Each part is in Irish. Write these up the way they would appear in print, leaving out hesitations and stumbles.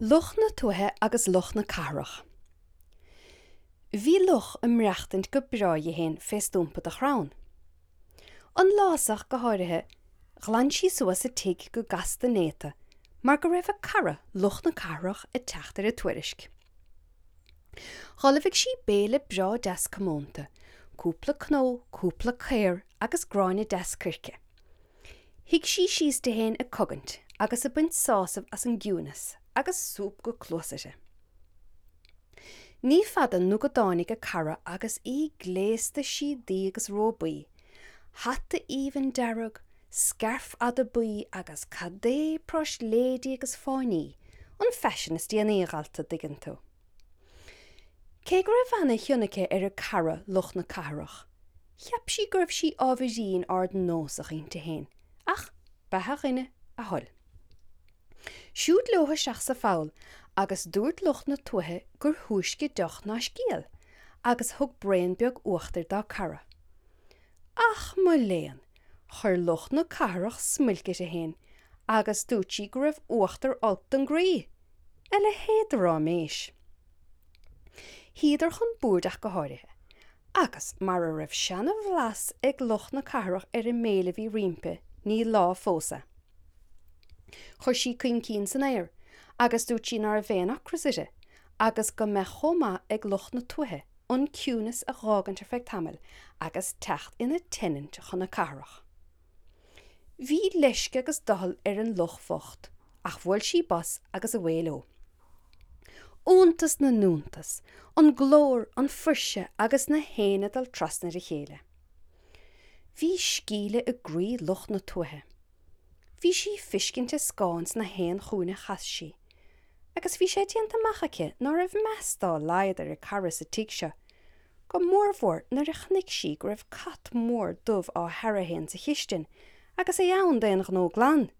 Luch na Tuaithe agus Luch na Cathrach. Bhí luch ag maireachtaint go breá dhi fhéin fé stúmpa de chrann. An lá so ach go háirithe, ghlan sí suas a tigh go gasta néata mar go raibh a cara, luch na cathrach, ag teacht ar a tuairisc. Dh'ullmhaigh sí béile breá deas comónta, cúpla cnó, cúpla caor agus gráinne deas coirce. Shuigh sí síos di fhéin ag cogaint agus ag baint sásamh as an gciúineas agus súp go cluasa uirthi. Ní fada nó go dtáinig a cara agus í gléasta síodaí agus róbaí, hata aoibhinn dearg, scairf fhada buí agus cad é práisléidí agus fáinní, an faisean is déanaí, a dhalta, dtuigeann tú. Cé go raibh ana chion aici ar a cara luch na cathrach, Cheap sí go raibh sí ábhairín ardnósach inti fhéin, ach beatha dhuine, a thoil. Siúd leo isteach sa pholl agus dúirt luch na tuaithe gur thúisce deoch ná scéal, agus thug braon beag uachtair dá cara. Ach mo léan, chuir luch na cathrach smuilc uirthi fhéin agus dúirt sí go raibh uachtar olc don gcroí! A leithéid de ráiméis! Shuíodar chun boird ach go háirithe, Agus mara raibh seana-bhlas ag luch na cathrach ar an mbéile a bhí roimpi, ní lá fós é. Chuir sí coincín san aer agus dúirt sí ná raibh aon ocras uirthi agus go mbeadh chomh maith ag luch na tuaithe an ciúineas a dh'fhágaint ar feadh tamaill agus teacht ina tenant chun na cathrach. Bhí leisce agus doicheall ar an luch bhocht, ach bhuail sí bos agus away leo. Iontas na n-iontas, an glór, an fuirse agus na héin ag dul trasna ar a chéile. Bhí scíle i gcroí luch na tuaithe. Bhí sí ag fiscint a scáin sna haon chúinne a chas sí, agus bhí sé déanta amach aici ná raibh meas dá laghad ar a cara sa tigh seo, go mórmhór nuair a chonaic sí go raibh cat mór dubh á fhaire fhéin sa chistin agus é ann d'aon ghnó glan.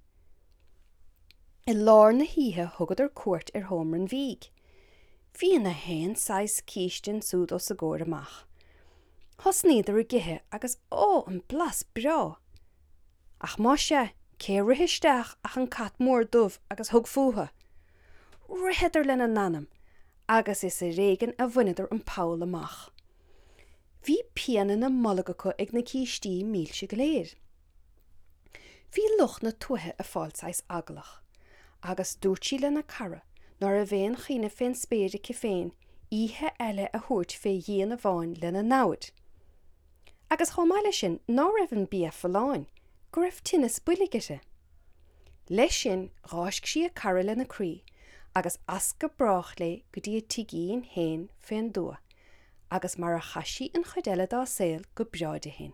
I lár na hoíche thugadar cuairt ar sheomra an bhídh. Bhí na haon saghas císte ansúd os a gcomhair amach. Thosnaíodar ag ithe agus ó, an blas breá! Ach más ea, cé a rith isteach ach an cat mór dubh agus thug fúthu. Ritheadar lena n-anam agus is ar éigean a bhaineadar an poll amach. Bhí pian ina mbolg acu ag na cístí milse go léir. Bhí luch na tuaithe ag fáil saghas eaglach, agus dúirt sí lena cara ná raibh aon chuimhne fén spéir aici féin oíche eile a thabhairt fé dhíon amháin lena namhaid. Agus chomh maith leis sin ná raibh an bia folláin, go raibh tinneas boilg uirthi. Leis sin dh'fháisc sí a cara lena croí agus as go brách léi go dtí a tigín féin fén dtuath agus mar a chaith sí an chuid eile dá saol go breá di féin.